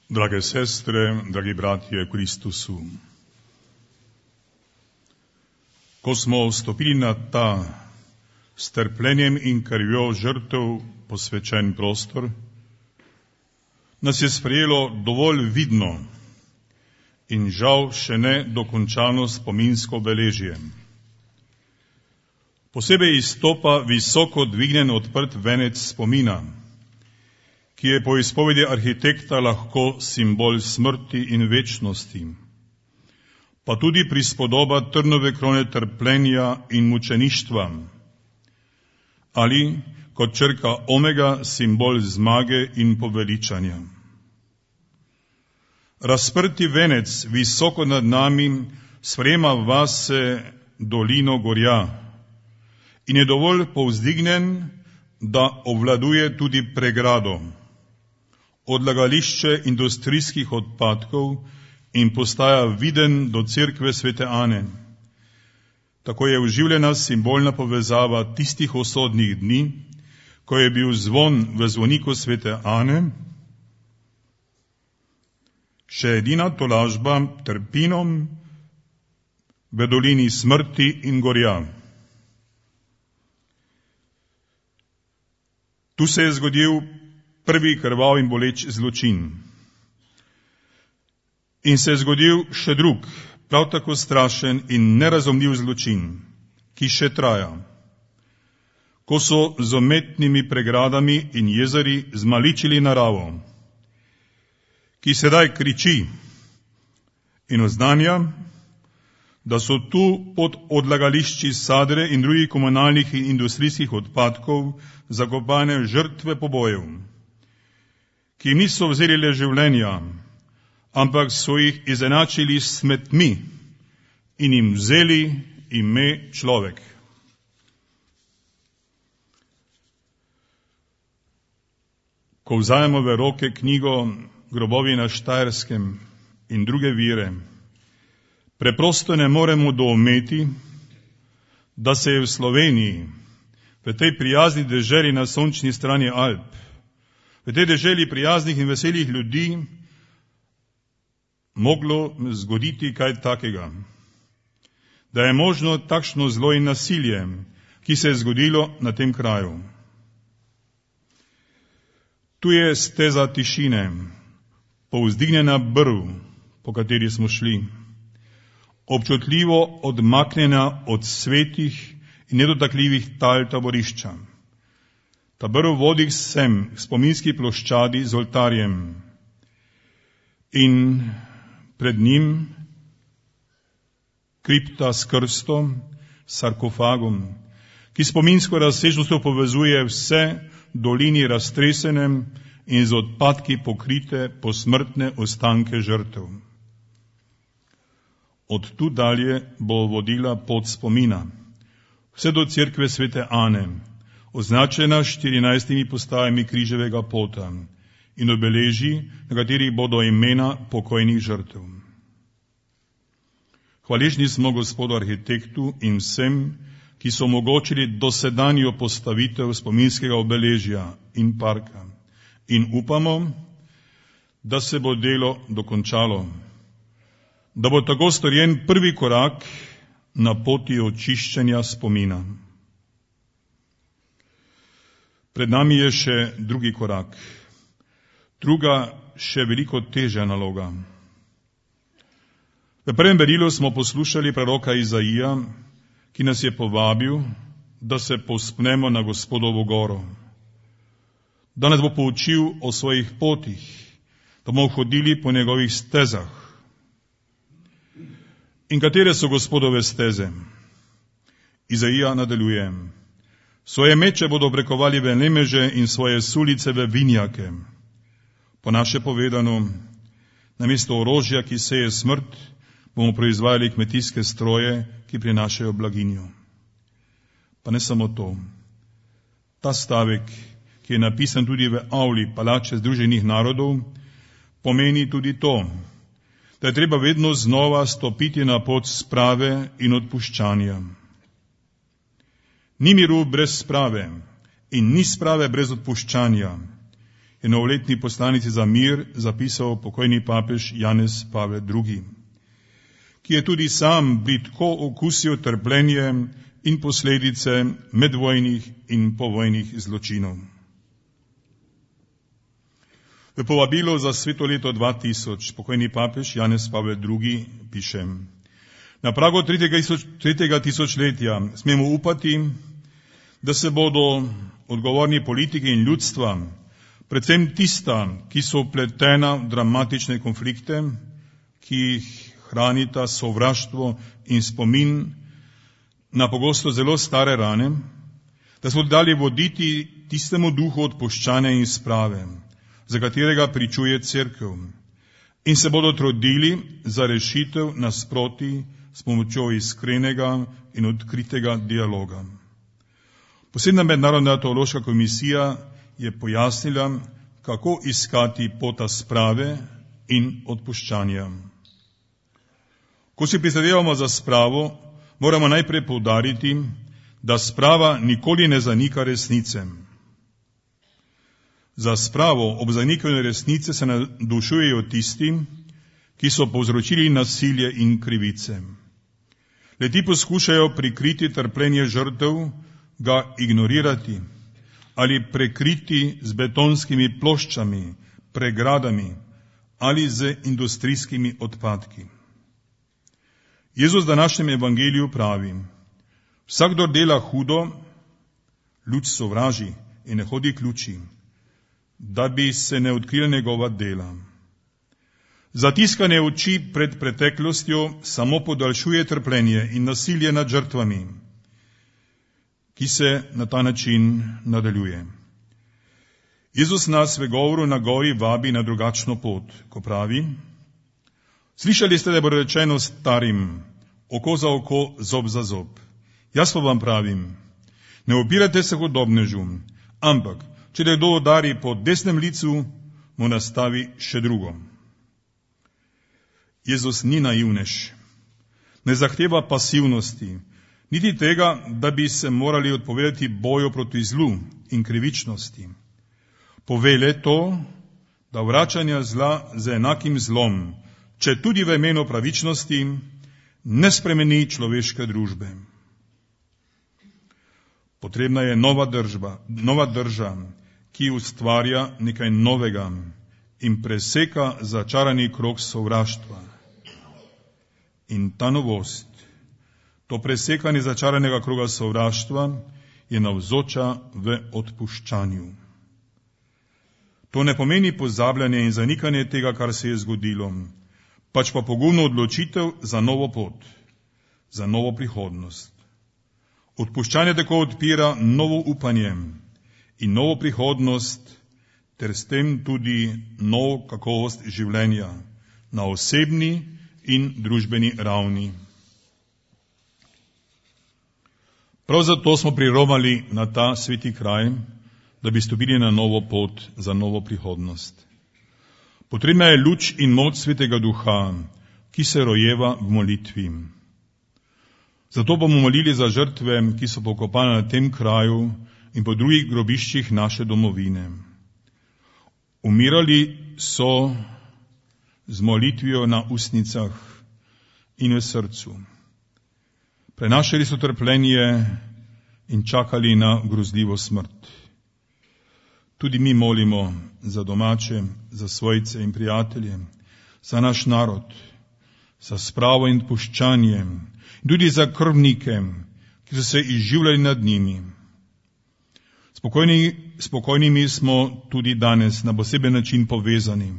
Drage sestre, dragi bratje v Kristusu, ko smo vstopili na ta s trpljenjem in krvjo žrtev posvečen prostor, nas je sprejelo dovolj vidno in žal še ne dokončano spominsko obeležje. Posebej izstopa visoko dvignjen odprt venec spomina, ki je po izpovedi arhitekta lahko simbol smrti in večnosti, pa tudi prispodoba trnove krone trpljenja in mučeništva, ali kot črka omega simbol zmage in poveličanja. Razprti venec visoko nad nami sprejema vase dolino gorja in je dovolj povzdignjen, da obvladuje tudi pregrado, odlagališče industrijskih odpadkov in postaja viden do cerkve svete Ane. Tako je oživljena simbolna povezava tistih usodnih dni, ko je bil zvon v zvoniku svete Ane še edina tolažba trpinom v dolini smrti in gorja. Tu se je zgodil prvi krvav in boleč zločin. In se je zgodil še drug, prav tako strašen in nerazumljiv zločin, ki še traja, ko so z umetnimi pregradami in jezeri zmaličili naravo, ki sedaj kriči in oznanja, da so tu pod odlagališči sadre in drugih komunalnih in industrijskih odpadkov zakopane žrtve pobojev, ki niso vzeli le življenja, ampak so jih izenačili s smetmi in jim vzeli ime človek. Ko vzajemo v roke knjigo Grobovi na Štajerskem in druge vire, preprosto ne moremo doumeti, da se je v Sloveniji, v tej prijazni deželi na sončni strani Alp, v tej deželi prijaznih in veselih ljudi, moglo zgoditi kaj takega. Da je možno takšno zlo in nasilje, ki se je zgodilo na tem kraju. Tu je steza tišine, povzdignjena brv, po kateri smo šli, občutljivo odmaknjena od svetih in nedotakljivih tal taborišča. Ta brv vodi sem k spominski ploščadi z oltarjem in pred njim kripta s krstom, sarkofagom, ki spominsko razsežnostjo povezuje vse dolini raztresenem in z odpadki pokrite posmrtne ostanke žrtev. Od tu dalje bo vodila pot spomina, vse do cerkve svete Ane, označena 14 postajami križevega pota in obeleži, na katerih bodo imena pokojnih žrtev. Hvaležni smo gospodu arhitektu in vsem, ki so omogočili dosedanjo postavitev spominskega obeležja in parka, in upamo, da se bo delo dokončalo, da bo tako storjen prvi korak na poti očiščenja spomina. Pred nami je še drugi korak, druga, še veliko težja naloga. V prvem berilu smo poslušali proroka Izaija, ki nas je povabil, da se povzpnemo na Gospodovo goro, da nas bo poučil o svojih potih, da bomo hodili po njegovih stezah. In katere so Gospodove steze? Izaija nadaljuje: svoje meče bodo obrekovali v nemeže in svoje sulice v vinjake. Po naše povedano, namesto orožja, ki seje smrt, bomo proizvajali kmetijske stroje, ki prinašajo blaginjo. Pa ne samo to. Ta stavek, ki je napisan tudi v avli Palače Združenih narodov, pomeni tudi to, da je treba vedno znova stopiti na pot sprave in odpuščanja. Ni miru brez sprave in ni sprave brez odpuščanja. je novoletni poslanici za mir zapisal pokojni papež Janez Pavel II, ki je tudi sam bridko okusil trpljenje in posledice medvojnih in povojnih zločinov. V povabilu za sveto leto 2000 pokojni papež Janez Pavel II piše: Na pragu tretjega tisočletja smemo upati, da se bodo odgovorni politiki in ljudstva, predvsem tista, ki so vpletena v dramatične konflikte, ki jih hranita sovraštvo in spomin na pogosto zelo stare rane, da so dali voditi tistemu duhu odpuščanja in sprave, za katerega pričuje Cerkev, in se bodo trudili za rešitev nasprotij s pomočjo iskrenega in odkritega dialoga. Posebna mednarodna teološka komisija je pojasnila, kako iskati pota sprave in odpuščanja. Ko si prizadevamo za spravo, moramo najprej poudariti, da sprava nikoli ne zanika resnice. Za spravo ob zanikanju resnice se navdušujejo tisti, ki so povzročili nasilje in krivice. Le-ti poskušajo prikriti trpljenje žrtev, ga ignorirati ali prekriti z betonskimi ploščami, pregradami ali z industrijskimi odpadki. Jezus v današnjem evangeliju pravi: Vsakdor dela hudo, luč sovraži in ne hodi k luči, da bi se ne odkrila njegova dela. Zatiskanje oči pred preteklostjo samo podaljšuje trpljenje in nasilje nad žrtvami, ki se na ta način nadaljuje. Jezus nas v govoru na gori vabi na drugačno pot, ko pravi: Slišali ste, da bo rečeno starim, oko za oko, zob za zob. Jaz pa vam pravim, ne opirajte se hudobnežu, ampak, če te kdo udari po desnem licu, mu nastavi še drugo. Jezus ni naivnež, ne zahteva pasivnosti, niti tega, da bi se morali odpovedati boju proti zlu in krivičnosti. Pove le to, da vračanja zla z enakim zlom, če tudi v imenu pravičnosti, ne spremeni človeške družbe. Potrebna je nova drža, ki ustvarja nekaj novega in preseka začarani krog sovraštva. In ta novost, to presekanje začaranega kroga sovraštva, je navzoča v odpuščanju. To ne pomeni pozabljanje in zanikanje tega, kar se je zgodilo, pač pa pogumno odločitev za novo pot, za novo prihodnost. Odpuščanje tako odpira novo upanje in novo prihodnost, ter s tem tudi novo kakovost življenja na osebni in družbeni ravni. Prav zato smo priromali na ta sveti kraj, da bi stopili na novo pot za novo prihodnost. Potrebna je luč in moč svetega duha, ki se rojeva v molitvi. Zato bomo molili za žrtve, ki so pokopane na tem kraju in po drugih grobiščih naše domovine. Umirali so z molitvijo na ustnicah in v srcu. Prenašali so trpljenje in čakali na grozljivo smrt. Tudi mi molimo za domače, za svojce in prijatelje, za naš narod, za spravo in odpuščanje, tudi za krvnike, ki so se izživljali nad njimi. Spokojnimi smo tudi danes na poseben način povezani,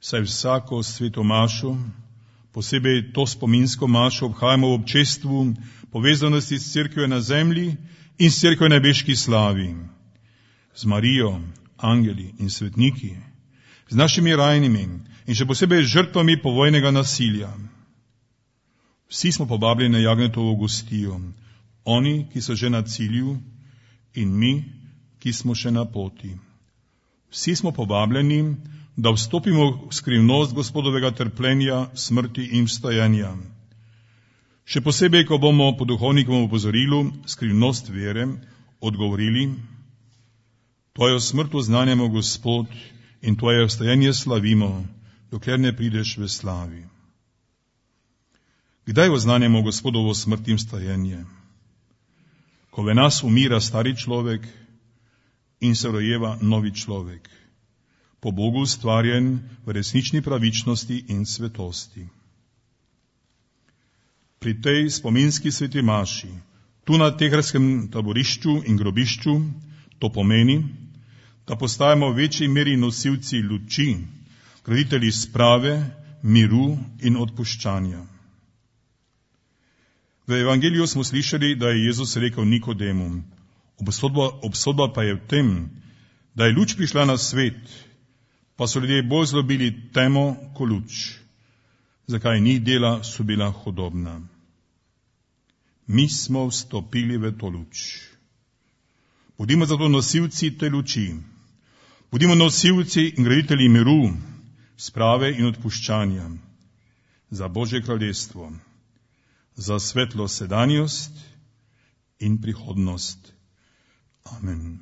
saj vsako sveto mašo, posebej to spominsko mašo, obhajamo v občestvu povezanosti s cerkvijo na zemlji in s cerkvijo na nebeški slavi, z Marijo, angeli in svetniki, z našimi rajnimi in še posebej žrtvami povojnega nasilja. Vsi smo povabljeni na Jagnjetovo gostijo, oni, ki so že na cilju, in mi, ki smo še na poti. Vsi smo povabljeni, da vstopimo v skrivnost Gospodovega trpljenja, smrti in vstajanja. Še posebej, ko bomo po duhovnikovem opozorilu skrivnost vere odgovorili: Tvojo smrt oznanjamo, Gospod, in Tvoje vstajanje slavimo, dokler ne prideš v slavi. Kdaj oznanjamo Gospodovo smrt in vstajanje? Ko v nas umira stari človek in se rojeva novi človek, po Bogu ustvarjen v resnični pravičnosti in svetosti. Pri tej spominski sveti maši, tu na Teherskem taborišču in grobišču, to pomeni, da postajamo v večji meri nosilci luči, graditelji sprave, miru in odpuščanja. V evangeliju smo slišali, da je Jezus rekel Nikodemu, obsodba pa je v tem, da je luč prišla na svet, pa so ljudje bolj zlobili temo ko luč. Zakaj njih dela so bila hudobna? Mi smo vstopili v to luč. Bodimo zato nosilci te luči. Bodimo nosilci in graditelji miru, sprave in odpuščanja za Božje kraljestvo, za svetlo sedanjost in prihodnost. Amen.